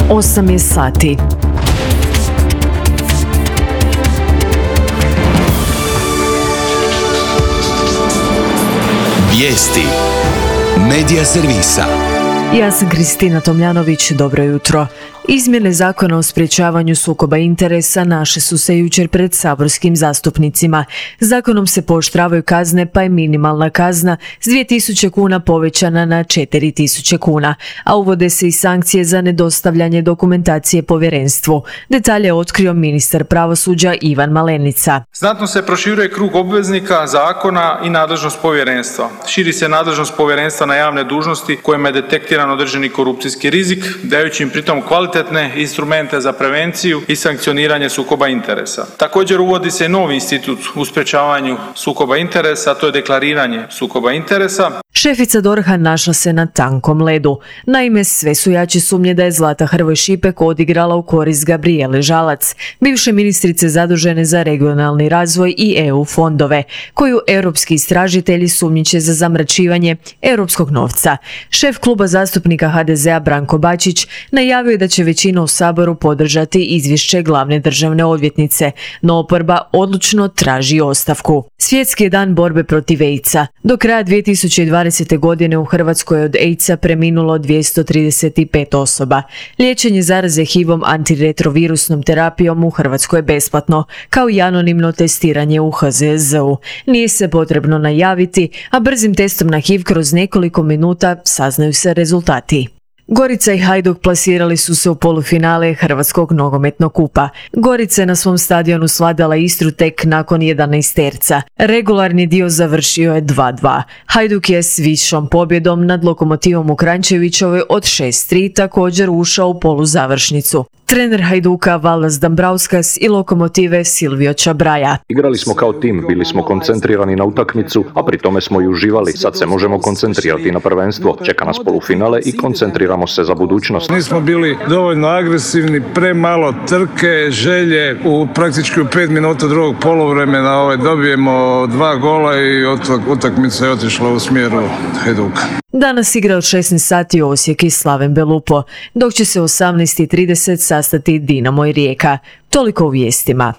8 je sati. Vijesti Medija servisa. Ja sam Kristina Tomljanović, dobro jutro. Izmjene zakona o sprječavanju sukoba interesa našle su se jučer pred saborskim zastupnicima. Zakonom se pooštravaju kazne, pa je minimalna kazna s 2000 kuna povećana na 4000 kuna, a uvode se i sankcije za nedostavljanje dokumentacije povjerenstvu. Detalje je otkrio ministar pravosuđa Ivan Malenica. Znatno se proširuje krug obveznika zakona i nadležnost povjerenstva. Širi se nadležnost povjerenstva na javne dužnosti kojima je detektiran određeni korupcijski rizik, dajući im pritom kvalitetne instrumente za prevenciju i sankcioniranje sukoba interesa. Također uvodi se novi institut u sprječavanju sukoba interesa, a to je deklariranje sukoba interesa. Šefica DORH-a našla se na tankom ledu. Naime, sve su jače sumnje da je Zlata Hrvoj Šipek odigrala u korist Gabrijele Žalac, bivše ministrice zadužene za regionalni razvoj i EU fondove, koju europski istražitelji sumnjiče za zamračivanje europskog novca. Šef kluba zastupnika HDZ-a Branko Bačić najavio je da će većina u Saboru podržati izvješće glavne državne odvjetnice, no oporba odlučno traži ostavku. Svjetski je dan borbe protiv AIDS-a. Do kraja 2020. godine u Hrvatskoj je od AIDS-a preminulo 235 osoba. Liječenje zaraze HIV-om antiretrovirusnom terapijom u Hrvatskoj je besplatno, kao i anonimno testiranje u HZZO-u. Nije se potrebno najaviti, a brzim testom na HIV kroz nekoliko minuta saznaju se rezultati. Gorica i Hajduk plasirali su se u polufinale Hrvatskog nogometnog kupa. Gorica je na svom stadionu svladala Istru tek nakon 11 terca. Regularni dio završio je 2:2. Hajduk je s višom pobjedom nad Lokomotivom u Kranjčevićevoj od 6:3 također ušao u poluzavršnicu. Trener Hajduka Valdas Dambrauskas i Lokomotive Silvio Čabraja. Igrali smo kao tim, bili smo koncentrirani na utakmicu, a pri tome smo i uživali. Sad se možemo koncentrirati na prvenstvo. Čeka nas polufinale i koncentriramo se za budućnost. Nismo bili dovoljno agresivni, premalo trke, želje. Praktički u 5 minuta drugog poluvremena dobijemo 2 gola i utakmica je otišla u smjeru Hajduka. Danas igra od 16 sati Osijek i Slaven Belupo, dok će se u 18:30 sastati Dinamo i Rijeka. Toliko u vijestima.